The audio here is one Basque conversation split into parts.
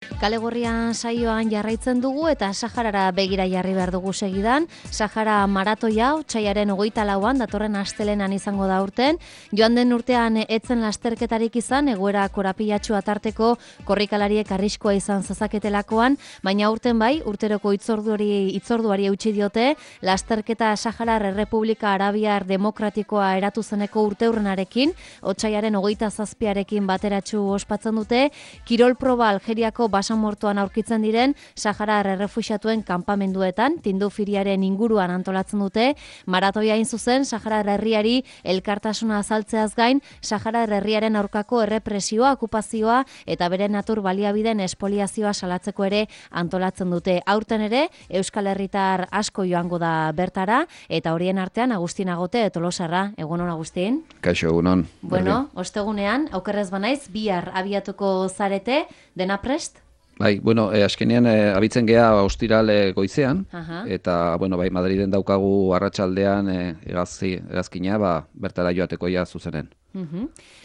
Kale Gorrian saioan jarraitzen dugu eta Saharara begira jarri behar dugu segidan. Sahara maratoia otsailaren 24an datorren astelehenan izango da urten. Joan den urtean etzen lasterketarik izan, egoera korapilatxua tarteko korrikalariek arriskua izan zezaketelakoan, baina urten bai, urteroko hitzorduari eutsi diote, lasterketa Saharar Errepublika Arabiar Demokratikoa eratu zeneko urteurrenarekin, otsailaren 27arekin bateratsu ospatzen dute, kirol proba Algeriako basamortuan aurkitzen diren Saharar errefuxiatuen kanpamenduetan, Tindufiriaren inguruan antolatzen dute, maratoia hain zuzen Saharar herriari elkartasuna azaltzeaz gain, Saharar herriaren aurkako errepresioa, okupazioa eta bere natur baliabideen espoliazioa salatzeko ere antolatzen dute. Aurten ere, Euskal Herritar asko joango da bertara, eta horien artean Agustin Agote Tolosarra. Egunon, Agustin? Kaixo, egunon. Bueno, ostegunean, okerrez banaiz, bihar abiatuko zarete, dena prest? Bai, bueno, azkenean abitzen gea ostiral goizean, eta, bueno, bai, Madriden daukagu arratsaldean hegazkina, bertara joateko ja zuzenen.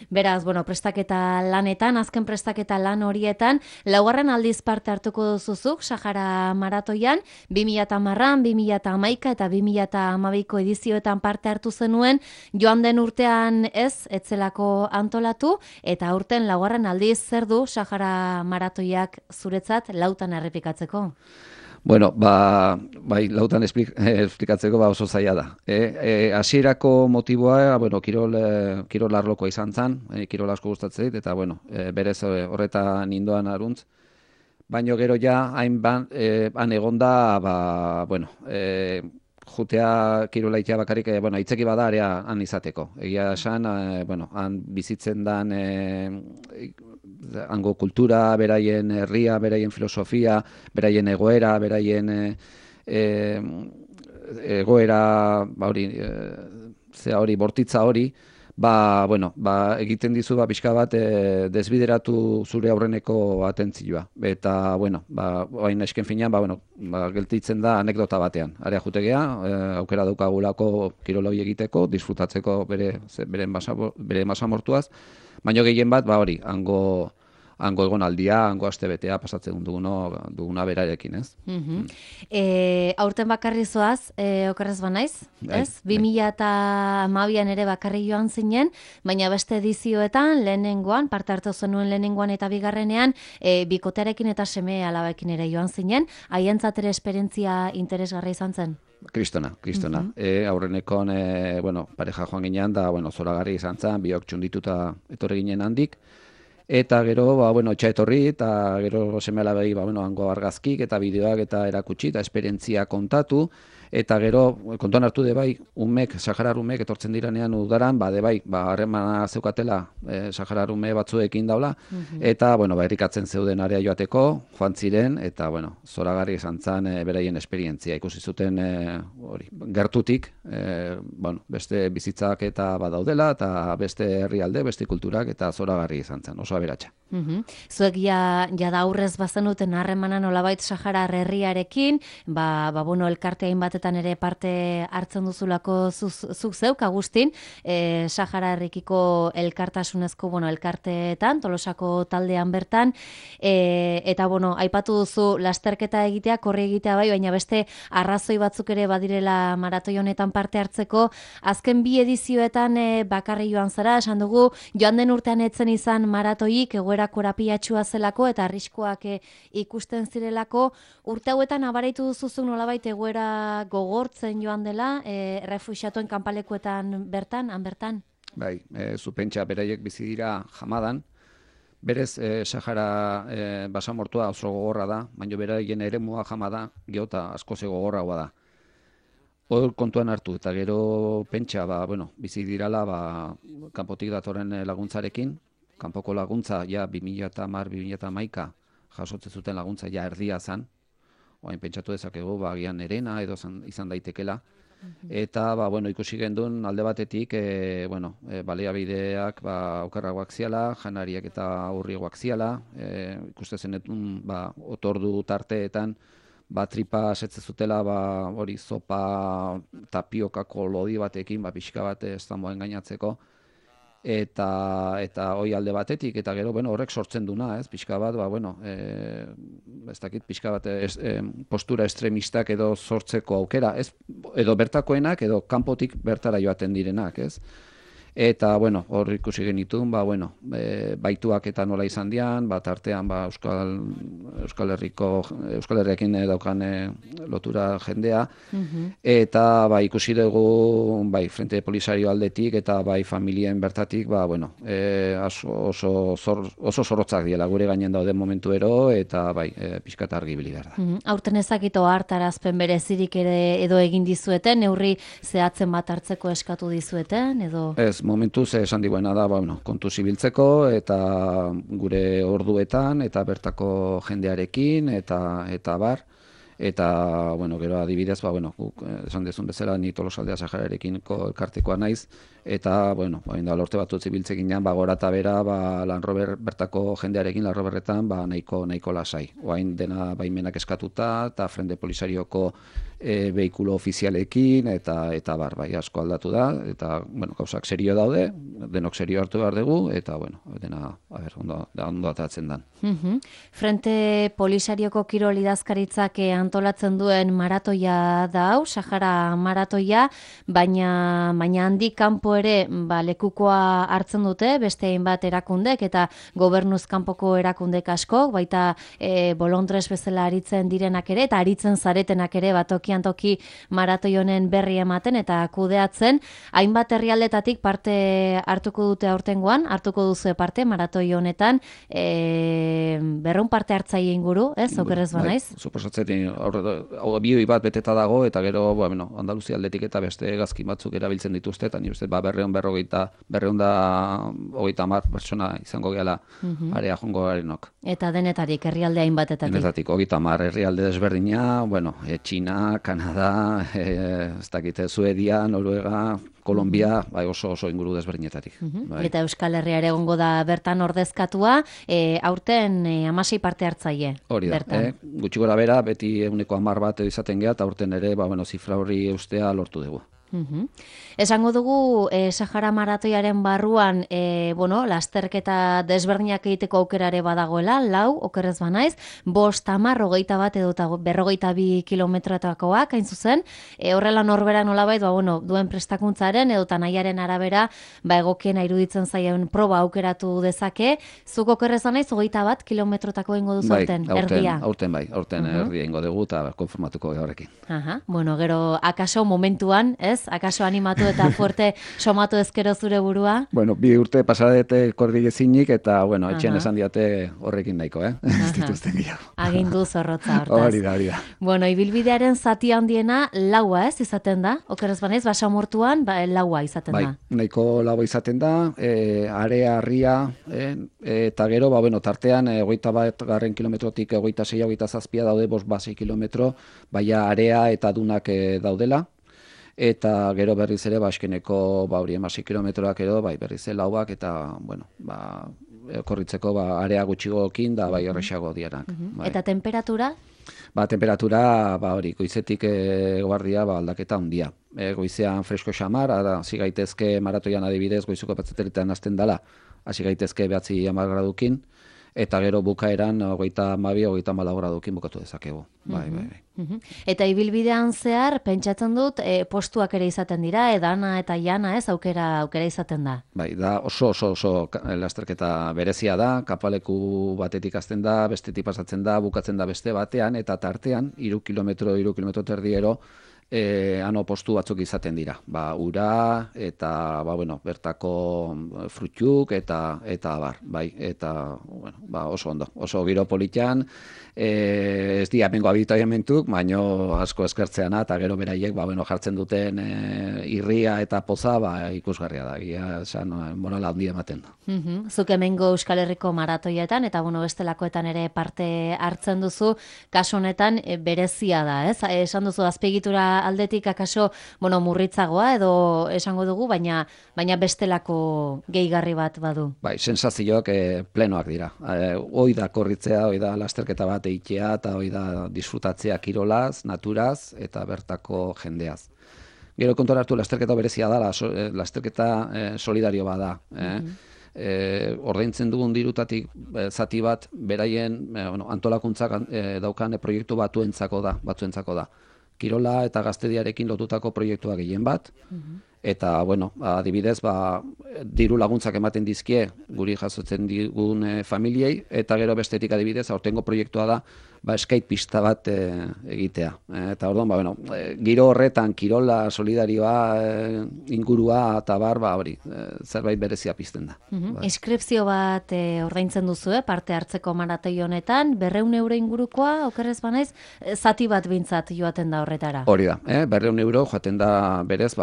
Beraz, bueno, prestaketa lanetan, azken prestaketa lan horietan, laugarren aldiz parte hartuko duzuzuk, Sahara maratoian, 2010an, 2011 eta 2012ko edizioetan parte hartu zenuen, joan den urtean etzelako antolatu, eta aurten laugarren aldiz zer du Sahara maratoiak zuretzat lautan errepikatzeko? Bueno, bai, lautan esplikatzeko oso zaila da. Hasierako motiboa, bueno, kirol arlokoa izan zen, kirol asko gustatzen dit, eta, bueno, berez horretan nindoan aruntz. Baina gero ja, han egonda, bueno, jutea kirolaitea bakarrik, bueno, itzeki bada area han izateko. Egia esan, bueno, han bizitzen dan hango kultura, beraien herria, beraien filosofia, beraien egoera, beraien egoera, bortitza hori, bueno, egiten dizu pixka bat desbideratu zure aurreneko atentzioa. Eta, bueno, hain esken finean, bueno, geltitzen da anekdota batean. Area jutegea, aukera daukagulako kiroloi egiteko, disfrutatzeko bere basamortuaz, baina gehien bat, hori, hango egonaldia, hango astebetea pasatzen duguna berarekin, ez? Aurten bakarri zoaz, okerrez banaiz, ez? 2012an ere bakarri joan zinen, baina beste edizioetan, lehenengoan, parte hartu zenuen lehenengoan eta bigarrenean, bikotearekin eta seme alabekin ere joan zinen, haientzat ere esperientzia interesgarra izan zen? Kristona. Aurrenekon, bueno, pareja joan ginean, da, bueno, zoragarri izan zen, biok txundituta etorri ginen handik, eta gero, bueno, etxa etorri, eta gero seme-alabei, bueno, hango argazkik eta bideoak eta erakutsi, eta esperientzia kontatu, eta gero, kontuan hartu bai, Saharar umek etortzen diranean udaran, bai, harremana zeukatela Saharar ume batzuekin daula, eta, bueno, errikatzen zeuden area joateko, joan ziren, eta, bueno, zoragarri izan zen beraien esperientzia. Ikusi zuten, gertutik, bueno, beste bizitzak eta badaudela, eta beste herrialde, beste kulturak, eta zoragarri izan zen, oso aberatsa. Zuek ja da aurrez bazenuten harremana nolabait Saharar herriarekin, bueno, elkarteain batetan ere parte hartzen duzulako zuk zeuk, Agustin, Sahara herrikiko elkartasunezko, bueno, elkarteetan, Tolosako taldean bertan, eta, bueno, aipatu duzu lasterketa egitea, korri egitea bai, baina beste arrazoi batzuk ere badirela maratoi honetan parte hartzeko, azken bi edizioetan bakarri joan zara, esan dugu, joan den urtean etzen izan maratoik, egoera korapilatxua zelako eta arriskoak ikusten zirelako, urte hauetan abaraitu duzuzuk nolabait egoera gogortzen joan dela, refuxiatuen kanpalekuetan bertan, han bertan? Bai, zupentsa beraiek bizi dira Hamadan, berez Sahara basamortua oso gogorra da, baina beraien eremua Hamada geota asko ze gogorragoa da. Hor kontuan hartu, eta gero pentsa, bueno, bizi dirala kanpotik datorren laguntzarekin, kanpoko laguntza, ja, 2010-2011 jasotzen zuten laguntza, ja, erdia zen. Oain pentsatu dezakegu, agian erena edo izan daitekela. Eta, bueno, ikusi gendun alde batetik, bueno, baliabideak okerragoak ziala, janariak eta aurriagoak ziala, ikuste zenetun, otordu tarteetan, tripa setze zutela, hori zopa tapiokako lodi batekin, pixka bat ez damoen gainatzeko. eta hoi alde batetik, eta gero, bueno, horrek sortzen duna, ez, pixka bat, bueno, ez dakit, pixka bat, postura estremistak edo sortzeko aukera, ez, edo bertakoenak, edo kanpotik bertara joaten direnak, ez. Eta, bueno, hor ikusi genitun, bueno, baituak eta nola izan dian, artean, Euskal Herriakin daukan lotura jendea, eta, ikusi dugu, Frente Polisario aldetik, eta, familien bertatik, bueno, oso zorrotzak diela, gure gainen daude momentuero, eta, pixkat argi ibili behar da. Aurten ezakito hartarazpen berezirik ere edo egin dizueten, neurri zehatzen bat hartzeko eskatu dizueten, edo... Ez, momentuz esan diguena da, kontu zibiltzeko eta gure orduetan eta bertako jendearekin eta bar. Eta, gero adibidez, guk esan dezun bezala ni Tolosaldea Sahararekin elkartekoa naiz, eta, da lorte batut zibiltzekin jan, gora eta bera, bertako jendearekin, Lanroberretan, nahiko lasai. Oain dena baimenak eskatuta, eta Frente Polisarioko behikulo ofizialekin, eta bar, asko aldatu da, eta, gauzak serio daude, denok serio hartu behar dugu, eta, dena, ondo atatzen dan. Frente Polisarioko kirol idazkaritzak antolatzen duen maratoia da hau, Sahara maratoia, baina handik kanpo ere lekukoa hartzen dute, beste hainbat erakundek eta gobernuz kanpoko erakundek asko, baita bolondres bezala aritzen direnak ere, eta aritzen zaretenak ere tokian toki maratoi honen berri ematen eta kudeatzen, hainbat herrialdetatik parte hartuko dute aurtengoan, hartuko duzu parte maratoi honetan, 200 parte hartzaile inguru, ez, okerrez banaiz? Suposatzen, bioi bat beteta dago, eta gero, Andaluzia aldetik eta beste gazkin batzuk erabiltzen dituzte, eta ni uste, 250 pertsona izango gehala area jongo garenok. Eta denetarik, herrialde hainbatetatik? Denetatik, 30 herrialde desberdina, China, Kanada, ez dakite, Suedia, Noruega, Kolombia, oso inguru desberdinetatik. Eta Euskal Herria ere egongo da bertan ordezkatua, aurten 16 parte hartzaile. Hori da, gutxi gora bera, beti 110 bat izaten geha, eta aurten ere, zifra hori eustea lortu dugu. Esango dugu Sahara maratoiaren barruan lasterketa desberdinak egiteko aukerare badagoela, 4, okerrez banaiz, 5, 10, 21 edo 42 kilometrotakoak, hain zuzen, horrela norbera nolabait, duen prestakuntzaren edo nahiaren arabera, egokiena iruditzen zaien proba aukeratu dezake, zuk okerrez banaiz, 21 kilometrotako ingo duzu aurten, erdia? Aurten erdia ingo dugu eta konformatuko horrekin. Gero, akaso momentuan, ez? Akaso animatu eta fuerte somatu ezkero zure burua? 2 urte pasadete kordigezinik eta, etxean esan diate horrekin nahiko, ez dituzten gehiago. Agindu zorrotza hortaz. Hori da. Ibilbidearen zati handiena laua, ez, izaten da? Okerrez banaiz, basamortuan, laua izaten da. Nahiko laua izaten da, area, harria, eta gero, tartean, 21 kilometrotik 26-27 daude 5-6 kilometro, baina area eta dunak daudela. Eta gero berriz ere, askeneko 16 kilometroak edo, berriz lauak, eta, korritzeko area gutxigokin da, horrexago dianak. Eta temperatura? Temperatura, goizetik guardia, aldaketa handia. Goizean fresko xamar, hasi gaitezke maratoian adibidez, goizuko patzateritan hasten dela, hasi gaitezke 9-10 gradukin, eta gero bukaeran 32-34 gradukin bukatu dezakegu. Eta ibilbidean zehar, pentsatzen dut, postuak ere izaten dira, edana eta jana, ez, aukera izaten da. Da oso lasterketa berezia da, kapaleku batetik hasten da, bestetik pasatzen da, bukatzen da beste batean, eta tartean, 3 kilometro terdiero, ano postu batzuk izaten dira. Ura, eta, bertako frutuk, eta bar, eta, oso ondo. Oso giro politan, ez di amengo habitaiamentuk, baino asko eskertzeana, eta gero beraiek, jartzen duten irria eta poza, ikusgarria da, esan, morala handia ematen da. Zuk hemengo Euskal Herriko maratoietan, eta bestelakoetan ere parte hartzen duzu, kasu honetan berezia da, ez? Esan duzu, azpiegitura aldetik akaso, murritzagoa edo esango dugu, baina bestelako gehigarri bat badu. Sensazioak plenoak dira. Hoi da korritzea, hoi da lasterketa bat eitea, eta hoi da disfrutatzea kirolaz, naturaz, eta bertako jendeaz. Gero kontuan hartu lasterketa berezia da, lasterketa solidario bada. Ordaintzen dugun dirutatik zati bat beraien antolakuntzak daukan proiektu batzuentzako da. Kirola eta gaztediarekin lotutako proiektua gehien bat, eta, adibidez, diru laguntzak ematen dizkie guri jasotzen digun familiei, eta gero bestetik adibidez, aurtengo proiektua da, skate pista bat egitea. Eta orduan, giro horretan, kirola, solidarioa, ingurua, eta hori, zerbait berezia pizten da. Inskripzio bat ordaintzen duzu, parte hartzeko maratoi honetan, 200 euro ingurukoa, okerrez banaiz, zati bat bintzat joaten da horretara. Hori da, 200 euro joaten da berez,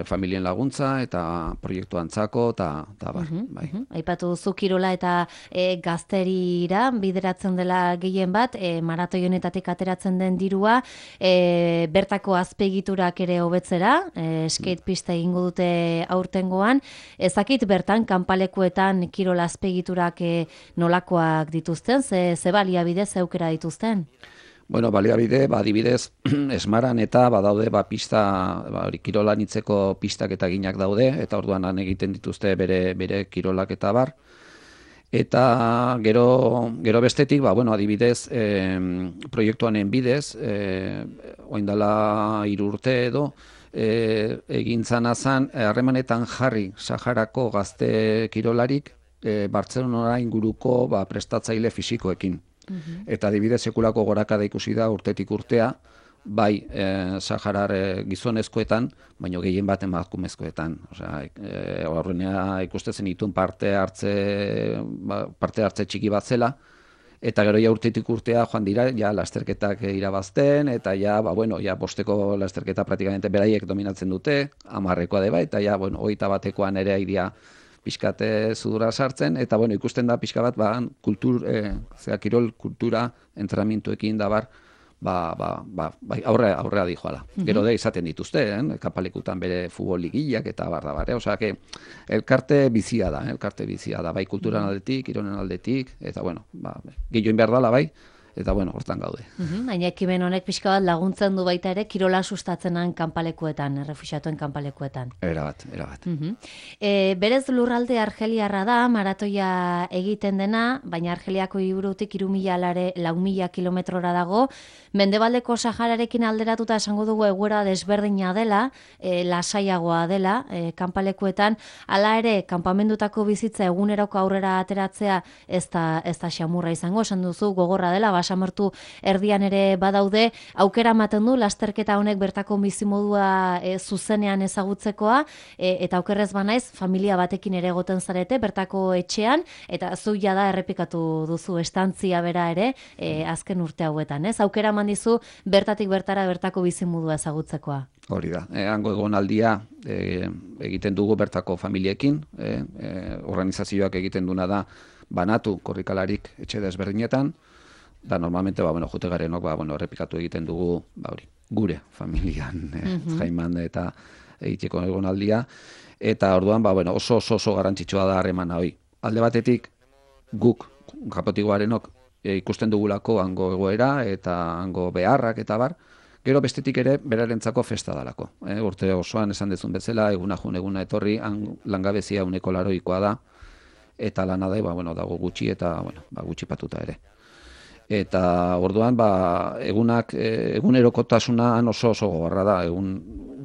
familien laguntza eta proiektu antzako, eta bar. Aipatu duzu kirola eta gazterira bideratzen dela gehien bat, maratoi honetatik ateratzen den dirua, bertako azpegiturak ere hobetzera, skate pista egingo dute aurtengoan, ezakit bertan kanpalekuetan kirola azpegiturak nolakoak dituzten, ze baliabide, ze aukera dituzten? Baliabide, adibidez, esmaran eta badaude pista, kirolan itzeko pistak eta ginak daude, eta orduan han egiten dituzte bere kirolak eta bar. Eta gero bestetik, adibidez, proiektuanen bidez, oindala 3 urte edo, egin zanazan, harremanetan jarri Saharako gazte kirolarik, Bartzelonara inguruko prestatzaile fisikoekin. Eta adibidez sekulako gorakada ikusi da urtetik urtea, bai Saharar gizonezkoetan, baino gehien bat emakumezkoetan. Horrenea ikustezen dituen parte hartze txiki bat zela, eta gero urtetik urtea joan dira lasterketak irabazten, eta bosteko lasterketa praktikamente beraiek dominatzen dute, 10ekoa deba, eta 21ekoan ere aidia pixkate zudura sartzen, eta ikusten da pixka bat kirol kultura entrenamentuekin da bar, aurrea dijoala. Gero da izaten dituzte, kapalekutan bere futbol ligillak eta bar da bar. Elkarte bizia da, bai kulturan aldetik, kirolen aldetik, eta gehioin behar dala bai, eta hortan gaude. Baina ekimen honek pixka bat laguntzen du baita ere kirola sustatzenan kanpalekuetan, errefuxiatuen kanpalekuetan. Erabat. Berez lurralde argeliarra da, maratoia egiten dena, baina Argeliako hiriburutik 4.000 kilometrora dago, Mendebaldeko Sahararekin alderatuta esango dugu egoera desberdina dela, lasaiagoa dela, kanpalekuetan, hala ere, kanpamendutako bizitza eguneroko aurrera ateratzea ez da xamurra izango, esan duzu gogorra dela, basamertu erdian ere badaude, aukera ematen du lasterketa honek bertako bizimodua zuzenean ezagutzekoa, eta aukerrez banaiz, familia batekin ere egoten zarete, bertako etxean, eta zu jada errepikatu duzu estantzia bera ere, azken urte hauetan, ez? Aukera eman dizu bertatik bertara bertako bizimodua ezagutzekoa. Hori da, hango egonaldia egiten dugu bertako familiekin, organizazioak egiten duna da banatu korrikalarik etxe desberdinetan, da normalmente jote garenok errepikatu egiten dugu gure familian jaiman eta egiteko egonaldia, eta orduan oso garrantzitsua da harremana hori. Alde batetik guk Japotikoarenok ikusten dugulako hango egoera eta hango beharrak eta bar, gero bestetik ere berarentzako festa dalako. Urte osoan esan dezun bezala, eguna jun eguna etorri, langabezia 80% da, eta lana da, dago gutxi eta gutxi patuta ere. Eta orduan, egunerokotasuna oso gogorra da,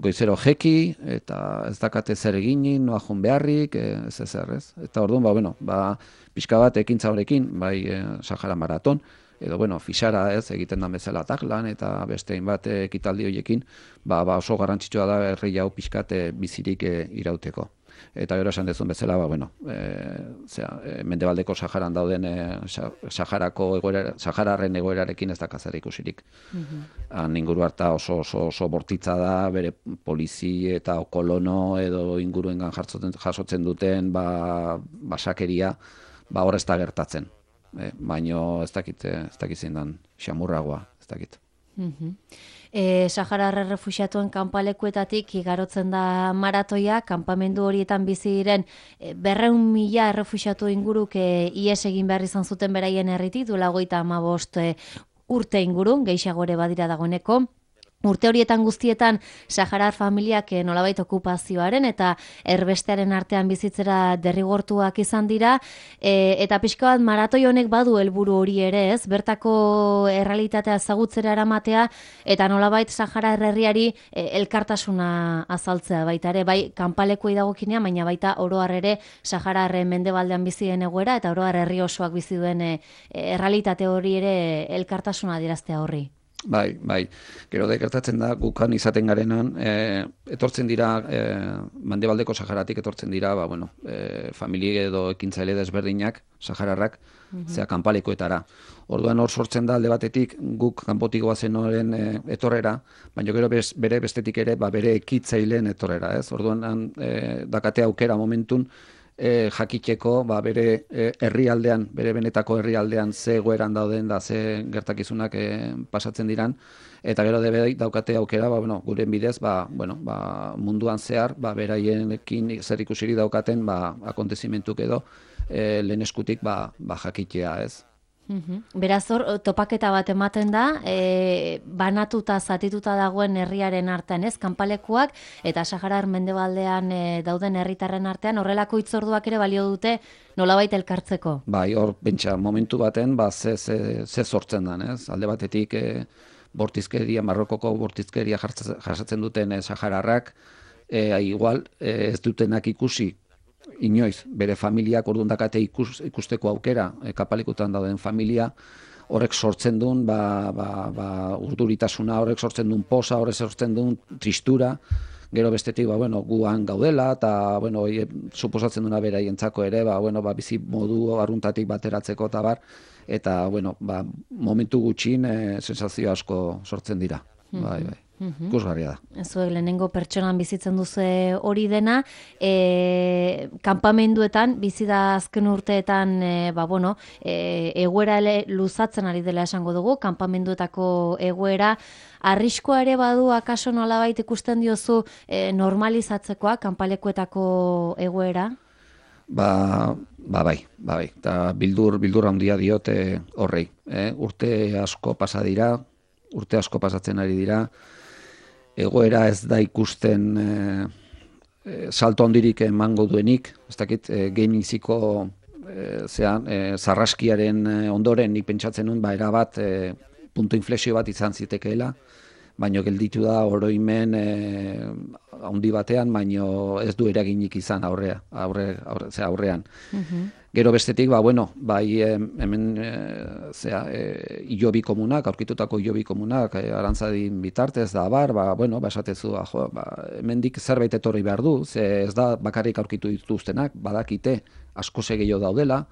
goizero jeki, eta ez dakate zer eginin, noa jun beharrik, ez. Eta orduan, pixka bat ekintza horrekin, bai Sahara Maraton, edo, fixara ez, egiten da bezala taklan, eta beste hainbat ekitaldi horiekin, oso garrantzitsua da herri hau pixkate bizirik irauteko. Eta gero esan dezun bezala, Mendebaldeko Saharan dauden Sahararren egoerarekin ez dakazara ikusirik. Inguru harta oso bortitza da, bere polizi eta kolono edo inguruengan jasotzen duten basakeria, hor ez da gertatzen. Baino ez dakit zein dan xamurragoa, ez dakit. Saharar errefuxiatuen kanpalekuetatik igarotzen da maratoia, kanpamendu horietan bizi diren 200.000 errefuxiatu inguruk ihes egin behar izan zuten beraien herritik, duela 55 urte inguru, gehiago ere badira dagoeneko. Urte horietan guztietan saharar familiak nolabait okupazioaren eta erbestearen artean bizitzera derrigortuak izan dira, eta pixka bat maratoi honek badu helburu hori ere, ez? Bertako errealitatea ezagutzera eramatea eta nolabait Saharar herriari elkartasuna azaltzea baita ere, bai kanpalekuei dagokinean, baina baita oro har ere Saharar mendebaldean bizi den egoera eta oro har herri osoak bizi duen errealitate hori ere elkartasuna adieraztea horri. Bai. Gero da gertatzen da, gukan izaten garenan, etortzen dira, Mendebaldeko Saharatik etortzen dira, familie edo ekintzaile desberdinak, sahararrak, zea kanpalekoetara. Orduan hor sortzen da alde batetik guk kanpotik goazen horren etorrera, baina gero bere bestetik ere bere ekitzaileen etorrera, ez? Orduan dakate aukera momentun, jakiteko bere herrialdean, bere benetako herrialdean ze egoeran dauden da ze gertakizunak pasatzen diran, eta gero daukate aukera guren bidez munduan zehar beraienekin zer ikusiri daukaten akontezimentuk edo lehen eskutik jakitea, ez? Beraz hor, topaketa bat ematen da, banatuta, zatituta dagoen herriaren artean, ez, kanpalekuak, eta Saharar mendebaldean dauden herritarren artean, horrelako hitzorduak ere balio dute nolabait elkartzeko. Bai, hor, bentsa, momentu baten, ze sortzen dan, ez? Alde batetik, bortizkeria, Marrokoko bortizkeria jasatzen duten sahararrak, igual, ez dutenak ikusi, inoiz, bere familiak orduan dakate ikusteko aukera, kapalikutan dauden familia, horrek sortzen duen, urduritasuna, horrek sortzen duen posa, horrek sortzen duen tristura, gero bestetik, guan gaudela, eta, suposatzen duena beraientzako ere, bizi modu arruntatik bateratzeko eta bar, eta, momentu gutxin, sensazio asko sortzen dira. Bai. Ikusgarria da. Zuek lehenengo pertsonan bizitzen duzu hori dena, kanpamenduetan, bizi da azken urteetan, egoera luzatzen ari dela esango dugu, kanpamenduetako egoera, arriskoa ere badu akaso nolabait ikusten diozu normalizatzekoa, kanpalekuetako egoera? Bai. Eta bildur handia diote horrei. Urte asko pasatzen ari dira, egoera ez da ikusten salto handirik emango duenik, ez dakit geniziko zarraskiaren ondoren nik pentsatzen nuen, erabat puntu inflexio bat izan zitekeela, baino gelditu da oroimen handi batean, baino ez du eraginik izan aurrean. Gero bestetik, hemen hilobi komunak, aurkitutako hilobi komunak, arantzadin bitartez da esatezu, hemendik zerbait etorri behar du, ze ez da bakarrik aurkitu dituztenak, badakite asko gehiago daudela,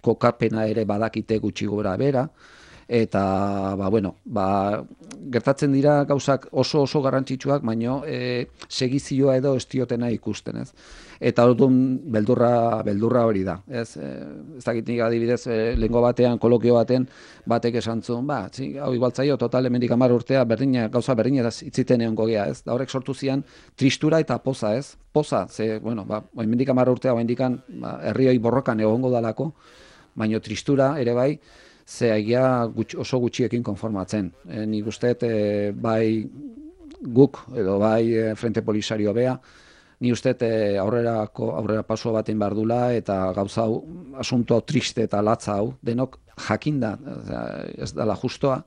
kokapena ere badakite gutxi gora bera, eta gertatzen dira gauzak oso garrantzitsuak, baino segizioa edo ez diotena ikusten, ez? Eta orduan beldurra hori da, ez? Ez dakit nik adibidez, lehengo batean, kolokio baten, batek esan zuen, hau igualtzaio, total, hemendik 10 urtea, gauza berdina itziten egongo gea, ez? Da horrek sortu zian tristura eta poza, ez? Poza, ze, hemendik 10 urtea, herrioi borrokan egongo dalako, baino tristura ere bai, ze egia oso gutxiekin konformatzen. Nik usteet bai guk edo bai Frente Polisario bea, ni usteet aurrera paso baten behar dula eta gauza hau, asunto triste eta latza hau, denok jakinda, ez dela justoa,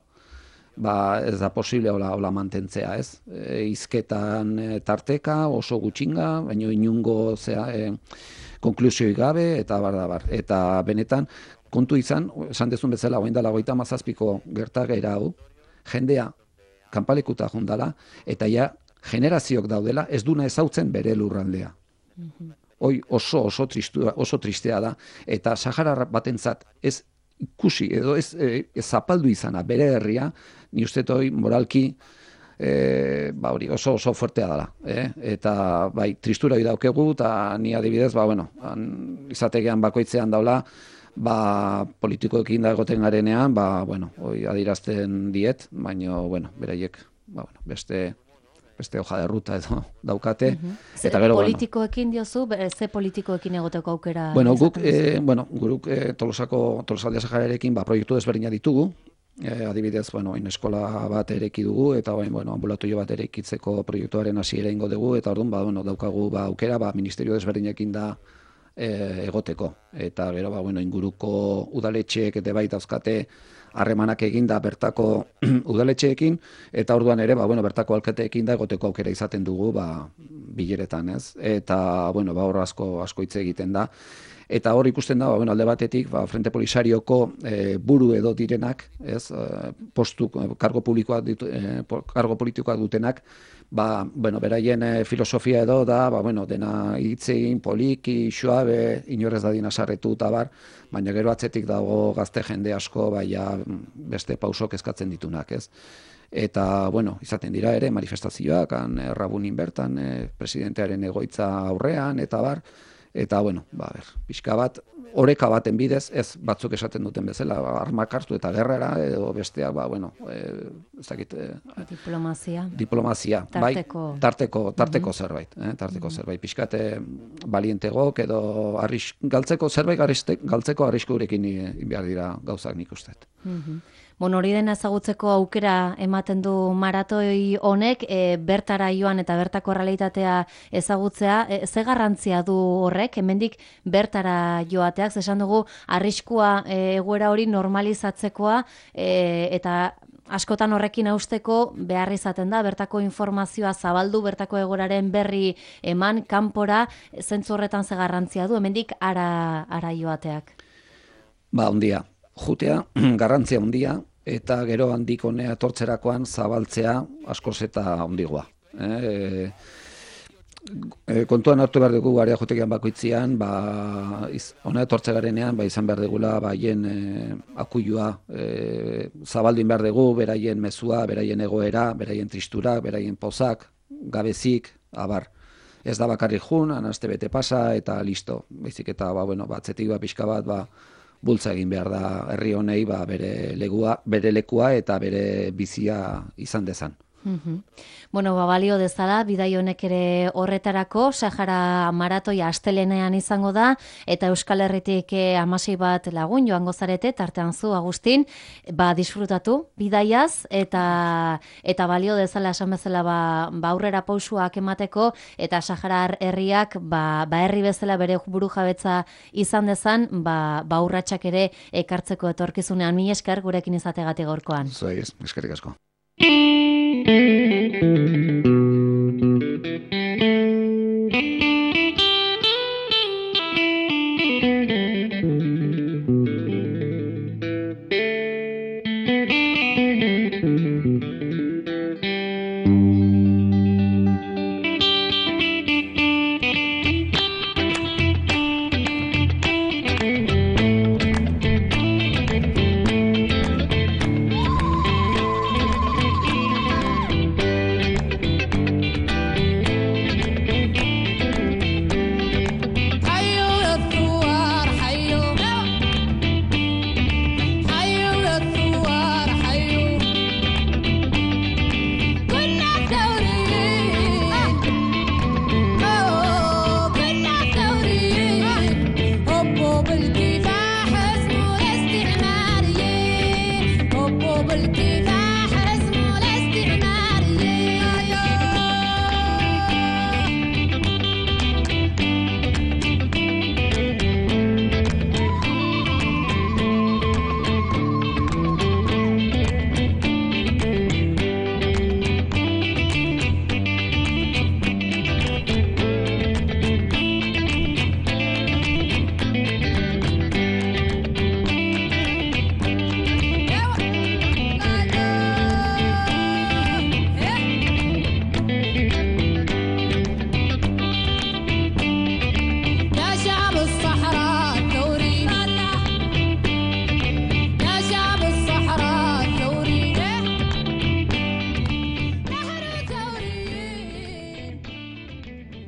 ez da posible hola mantentzea, ez? Hizketan tarteka, oso gutxinga, baina inungo konklusioi gabe, eta bar. Eta benetan, kontu izan, esan dezun bezala, oain dela 37ko gertakera hau, jendea kanpalekuta jondala, eta ja generazioak daudela, ez duna ezautzen bere lurraldea. Hoi oso tristea da, eta Sahara batentzat ez ikusi, edo ez zapaldu izana bere herria, ni uste hoi moralki oso fuertea dela. Eta tristura hori daukegu, eta ni adibidez, izategean bakoitzean daula, politikoekin da egoten garenean, hoi adirazten diet, baina, beraiek, beste hoja de ruta edo daukate. Eta gero, politikoekin diozu, ze politikoekin egoteko aukera? Guruk Tolosaldea Sahararekin proiektu desberdina ditugu, Adibidez, eskola bat ereki dugu, eta ambulatorio bat erekitzeko proiektuaren hasiera egingo dugu, eta orduan, daukagu aukera, ministerio desberdinekin da egoteko. Eta gero, inguruko udaletxeek eta bai dauzkate harremanak eginda bertako udaletxeekin, eta orduan ere, bertako alkateekin da egoteko aukera izaten dugu, bileretan, ez? Eta, hor asko hitz egiten da. Eta hor ikusten da, alde batetik, Frente Polisarioko buru edo direnak, ez, postu, kargo politikoak dutenak, beraien filosofia edo da, dena hitzein, poliki, suabe, inorez dadin asarretu eta bar, baina gero atzetik dago gazte jende asko, beste pausok eskatzen ditunak, ez. Eta, izaten dira ere, manifestazioak, Errabunin bertan, presidentearen egoitza aurrean, eta bar, eta, pixka bat, oreka baten bidez, ez batzuk esaten duten bezala, armak hartu eta gerrara, edo besteak, ez dakit... Diplomazia. Tarteko zerbait. Tarteko zerbait. Pixkate balientegok, edo galtzeko zerbait, galtzeko arriskurekin behar dira gauzak nik usteet. Hori dena ezagutzeko aukera ematen du maratoi honek, bertara joan eta bertako realitatea ezagutzea, ze garrantzia du horrek, hemendik bertara joateak, esan dugu arriskua egoera hori normalizatzekoa, eta askotan horrekin hausteko behar izaten da, bertako informazioa zabaldu, bertako egoraren berri eman, kanpora, zentzu horretan ze garrantzia du, hemendik ara joateak. Ondia. Jutea, garrantzia handia, eta gero handik honea etortzerakoan zabaltzea askoz eta handigoa. Kontuan hartu behar dugu area jotekian bakoitzian, honea etortzegarenean izan behar dugula haien akuilua zabaldin behar dugu, beraien mezua, beraien egoera, beraien tristura, beraien pozak, gabezik, abar. Ez da bakarrik jun, aste bete pasa eta listo. Baizik eta, atzetik pixka bat, bultza egin behar da herri honei bere lekua eta bere bizia izan dezan. Balio dezala, bidai honek ere horretarako, Sahara maratoia astelenean izango da, eta Euskal Herritik 16 bat lagun joango zarete, tartean zu, Agustin, disfrutatu bidaiaz, eta balio dezala esan bezala aurrera pausuak emateko, eta Sahara herriak herri bezala bere buru jabetza izan dezan, urratsak ere ekartzeko etorkizunean. Mila esker gurekin izategatik gaurkoan. Eskerrik asko. Thank you.